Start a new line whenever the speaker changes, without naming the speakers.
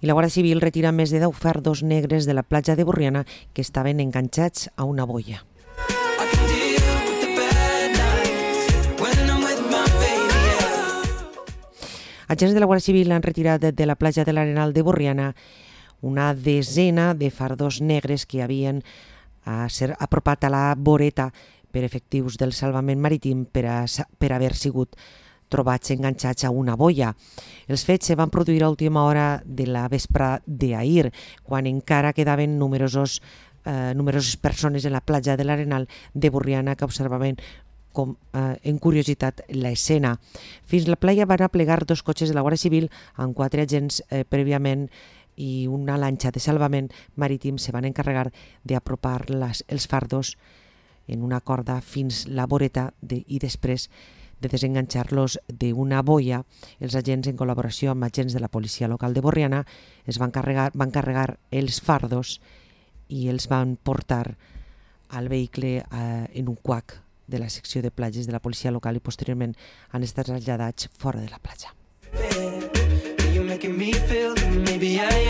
I la Guàrdia Civil retira més de 10 fardos negres de la platja de Borriana que estaven enganxats a una boia. Agents de la Guàrdia Civil han retirat de la platja de l'Arenal de Borriana una desena de fardos negres que havien apropat a la voreta per efectius del salvament marítim per haver sigut trobats enganxats a una boia. Els fets se van produir a última hora de la vespre d'ahir, quan encara quedaven numeroses persones en la platja de l'Arenal de Borriana que observaven en curiositat l'escena. Fins la playa van aplegar 2 cotxes de la Guàrdia Civil amb 4 agents prèviament i una lanxa de salvament marítim se van encarregar d'apropar els fardos en una corda fins la voreta i després de desenganxar-los d'una boia. Els agents, en col·laboració amb agents de la policia local de Borriana, van carregar els fardos i els van portar al vehicle en un quac de la secció de platges de la policia local i posteriorment han estat traslladats fora de la platja.